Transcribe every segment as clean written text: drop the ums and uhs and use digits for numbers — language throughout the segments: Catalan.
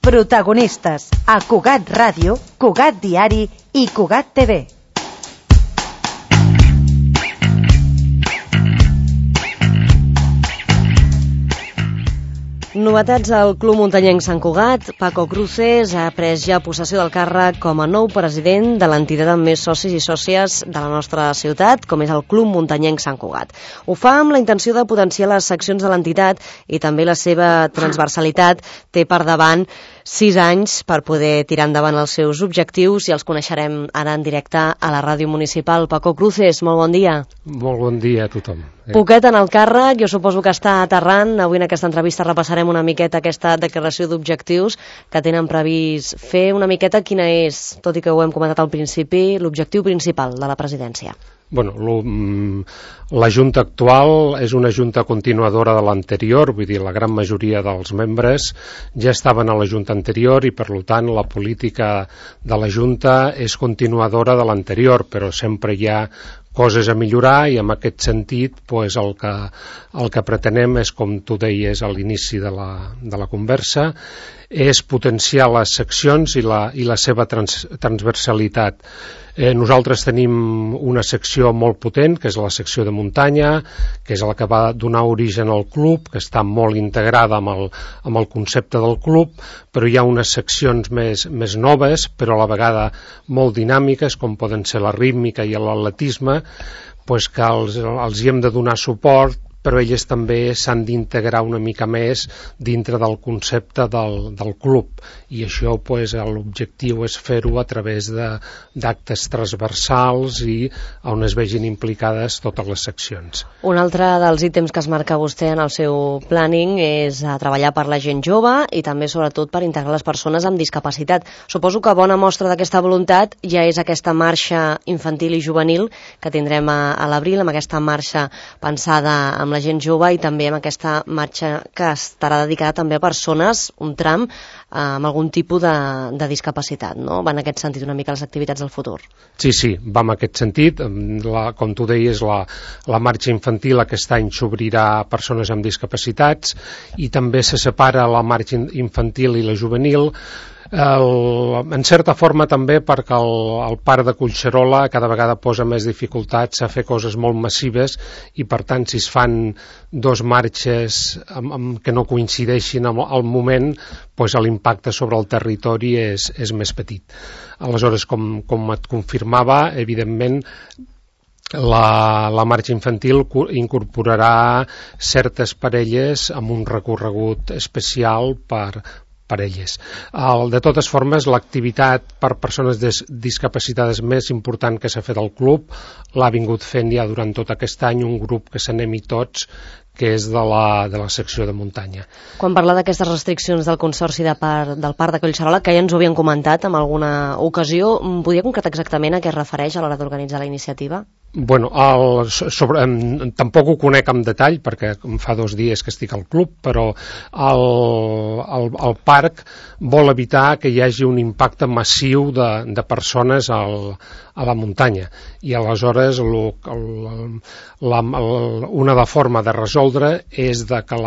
Protagonistes a Cugat Ràdio, Cugat Diari i Cugat TV. Novetats al Club Muntanyenc Sant Cugat. Paco Cruces ha pres ja possessió del càrrec com a nou president de l'entitat amb més socis i sòcies de la nostra ciutat, com és el Club Muntanyenc Sant Cugat. Ho fa amb la intenció de potenciar les seccions de l'entitat i també la seva transversalitat. Té per davant 6 anys per poder tirar endavant els seus objectius i els coneixerem ara en directe a la ràdio municipal. Paco Cruces, molt bon dia. Molt bon dia a tothom. Poquet en el càrrec, jo suposo que està aterrant. Avui en aquesta entrevista repassarem una miqueta aquesta declaració d'objectius que tenen previst fer. Una miqueta quina és, tot i que ho hem comentat al principi, l'objectiu principal de la presidència. Bueno, la Junta actual és una Junta continuadora de l'anterior, vull dir, la gran majoria dels membres ja estaven a la Junta anterior i, per tant, la política de la Junta és continuadora de l'anterior, però sempre hi ha coses a millorar i en aquest sentit pues, el que pretenem és, com tu deies a l'inici de la conversa, és potenciar les seccions i la seva transversalitat. Nosaltres tenim una secció molt potent, que és la secció de muntanya, que és la que va donar origen al club, que està molt integrada amb el concepte del club, però hi ha unes seccions més noves, però a la vegada molt dinàmiques, com poden ser la rítmica i l'atletisme, pues que els hi hem de donar suport, però elles també s'han d'integrar una mica més dintre del concepte del club, i això pues, l'objectiu és fer-ho a través d'actes transversals i on es vegin implicades totes les seccions. Un altre dels ítems que es marca vostè en el seu planning és treballar per la gent jove i també sobretot per integrar les persones amb discapacitat. Suposo que bona mostra d'aquesta voluntat ja és aquesta marxa infantil i juvenil que tindrem a l'abril, amb aquesta marxa pensada amb la gent jove i també amb aquesta marxa que estarà dedicada també a persones, un tram, amb algun tipus de discapacitat, no? Va en aquest sentit una mica les activitats del futur. Sí, va en aquest sentit. Com tu deies, la marxa infantil aquest any s'obrirà a persones amb discapacitats i també se separa la marxa infantil i la juvenil, en certa forma també perquè el parc de Collserola cada vegada posa més dificultats a fer coses molt massives i per tant si es fan dos marxes que no coincideixin al moment, doncs l'impacte sobre el territori és més petit. Aleshores, com et confirmava, evidentment la marxa infantil incorporarà certes parelles amb un recorregut especial per elles. De totes formes, l'activitat per persones discapacitades més important que s'ha fet al club l'ha vingut fent ja durant tot aquest any un grup que s'anem-hi tots, que és de la secció de muntanya. Quan parla d'aquestes restriccions del Consorci del Parc de Collserola, que ja ens ho havien comentat en alguna ocasió, podria concretar exactament a què es refereix a l'hora d'organitzar la iniciativa? Bueno, tampoc ho conec en detall perquè fa 2 dies que estic al club, però el parc vol evitar que hi hagi un impacte massiu de persones a la muntanya i aleshores una forma de resoldre és que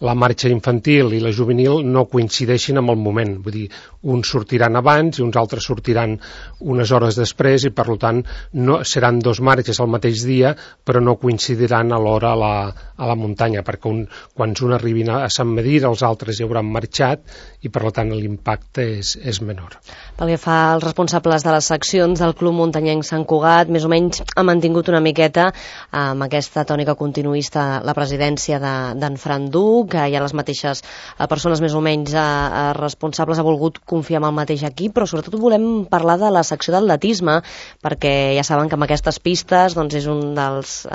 la marxa infantil i la juvenil no coincideixin amb el moment, vull dir, uns sortiran abans i uns altres sortiran unes hores després i per tant seran 2 marxes al mateix dia però no coincidiran alhora a la muntanya perquè quan un arribin a Sant Medir els altres ja hauran marxat i per tant l'impacte és menor. Pel que fa als responsables de les seccions del Club Muntanyenc Sant Cugat, més o menys ha mantingut una miqueta amb aquesta tònica continuista la presidència d'en Fran Duc, que hi ha les mateixes persones més o menys responsables, ha volgut confiar en el mateix equip, però sobretot volem parlar de la secció d'atletisme, perquè ja saben que amb aquestes pistes doncs, és un dels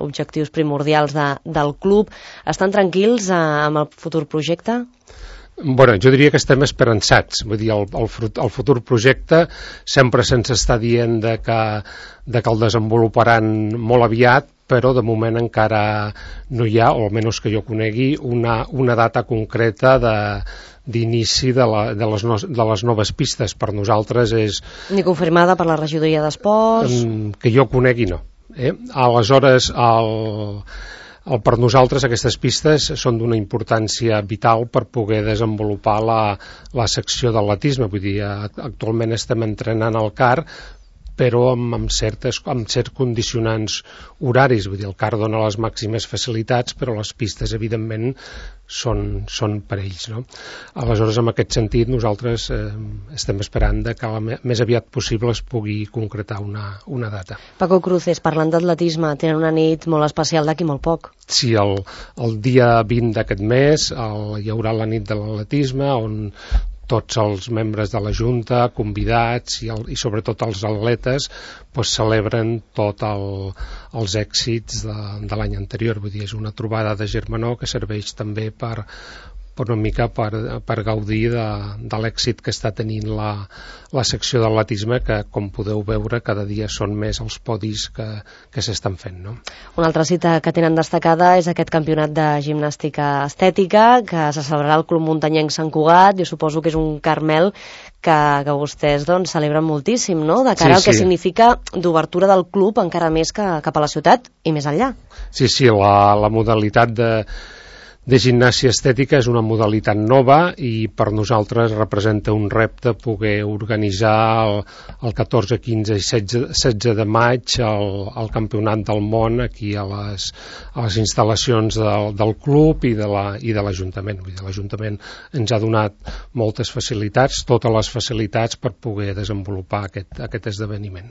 objectius primordials del club. Estan tranquils amb el futur projecte? Bueno, jo diria que estem esperançats, vull dir, el futur projecte sempre se'ns està dient que el desenvoluparan molt aviat, però de moment encara no hi ha, o almenys que jo conegui, una data concreta d'inici de les noves pistes. Per nosaltres és... Ni confirmada per la regidoria d'esports? Que jo conegui no. Aleshores, Per nosaltres aquestes pistes són d'una importància vital per poder desenvolupar la secció d'atletisme. Vull dir, actualment estem entrenant al CAR, però amb certs condicionants horaris. Vull dir, el CAR dona les màximes facilitats, però les pistes, evidentment, són per ells, no? Aleshores, en aquest sentit, nosaltres estem esperant que més aviat possible es pugui concretar una data. Paco Cruces, parlant d'atletisme, tenen una nit molt especial d'aquí molt poc. Sí, el dia 20 d'aquest mes hi haurà la nit de l'atletisme, on tots els membres de la Junta, convidats i sobretot els atletes celebren tots els èxits de l'any anterior. Vull dir, és una trobada de germanor que serveix també per una mica per gaudir de l'èxit que està tenint la secció d'atletisme, que, com podeu veure, cada dia són més els podis que s'estan fent, no? Una altra cita que tenen destacada és aquest campionat de gimnàstica estètica que se celebrarà al Club Muntanyenc Sant Cugat. Jo suposo que és un Carmel que vostès celebren moltíssim, no?, de cara al que significa d'obertura del club encara més cap a la ciutat i més enllà. Sí, la modalitat de gimnàsia estètica és una modalitat nova i per nosaltres representa un repte poder organitzar el 14, 15 i 16 de maig el Campionat del Món aquí a les instal·lacions del club i de l'Ajuntament. L'Ajuntament ens ha donat moltes facilitats, totes les facilitats per poder desenvolupar aquest esdeveniment.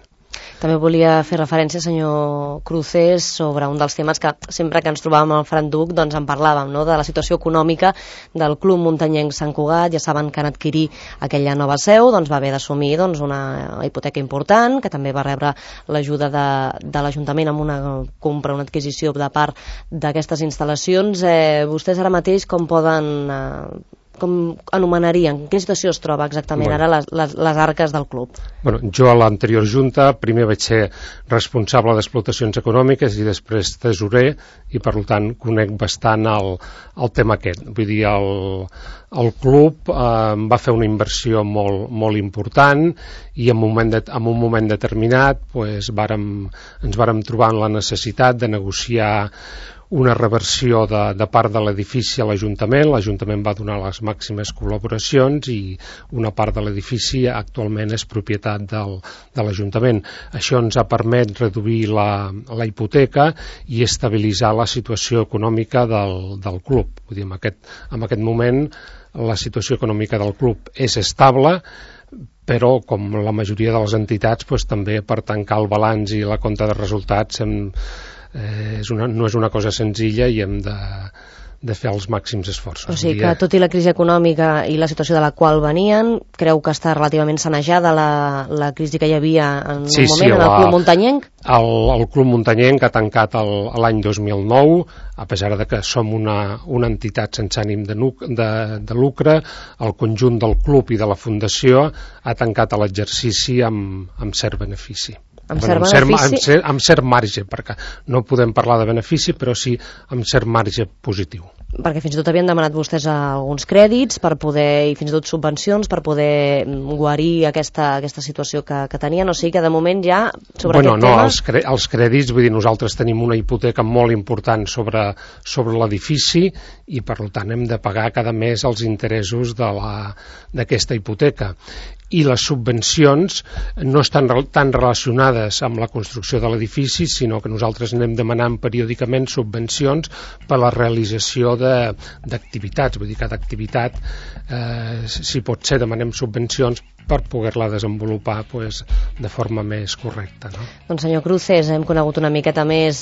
També volia fer referència, senyor Cruces, sobre un dels temes que sempre que ens trobàvem al Fran Duc en parlàvem, no?, de la situació econòmica del Club Muntanyenc Sant Cugat. Ja saben que en adquirir aquella nova seu va haver d'assumir una hipoteca important, que també va rebre l'ajuda de l'Ajuntament amb una compra, una adquisició de part d'aquestes instal·lacions. Vostès ara mateix com anomenarien? En quina situació es troba exactament ara les arques del club? Jo a l'anterior Junta primer vaig ser responsable d'explotacions econòmiques i després tesorer i per tant conec bastant el tema aquest. Vull dir, el club va fer una inversió molt important i en un moment determinat ens vàrem trobar en la necessitat de negociar una reversió de part de l'edifici a l'Ajuntament. L'Ajuntament va donar les màximes col·laboracions i una part de l'edifici actualment és propietat de l'Ajuntament. Això ens ha permès reduir la hipoteca i estabilitzar la situació econòmica del club. Vull dir, en aquest moment la situació econòmica del club és estable, però com la majoria de les entitats també per tancar el balanç i la compta de resultats no és una cosa senzilla i hem de fer els màxims esforços. O sigui que tot i la crisi econòmica i la situació de la qual venien, creu que està relativament sanejada la crisi que hi havia en un moment en el Club Muntanyenc? El Club Muntanyenc ha tancat l'any 2009, a pesar de que som una entitat sense ànim de lucre. El conjunt del club i de la fundació ha tancat l'exercici amb cert benefici. Amb cert marge, perquè no podem parlar de benefici, però sí amb cert marge positiu. Perquè fins i tot havien demanat vostès alguns crèdits per poder, i fins i tot subvencions per poder guarir aquesta situació que tenien, o sigui que de moment ja sobre aquest tema... Els crèdits, vull dir, nosaltres tenim una hipoteca molt important sobre l'edifici i per tant hem de pagar cada mes els interessos d'aquesta hipoteca. I les subvencions no estan tan relacionades amb la construcció de l'edifici, sinó que nosaltres anem demanant periòdicament subvencions per a la realització d'activitats. Vull dir, cada activitat, si pot ser, demanem subvencions per poder-la desenvolupar de forma més correcta, no? Doncs senyor Cruces, hem conegut una miqueta més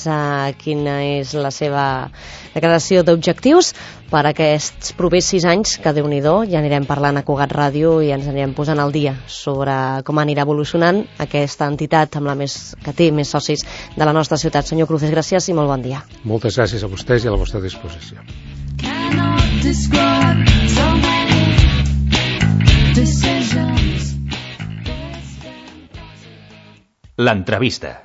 quina és la seva declaració d'objectius per aquests propers 6 anys, que Déu-n'hi-do, ja anirem parlant a Cugat Ràdio i ens anirem posant al dia sobre com anirà evolucionant aquesta entitat que té més socis de la nostra ciutat. Senyor Cruces, gràcies i molt bon dia. Moltes gràcies a vostès i a la vostra disposició. L'entrevista.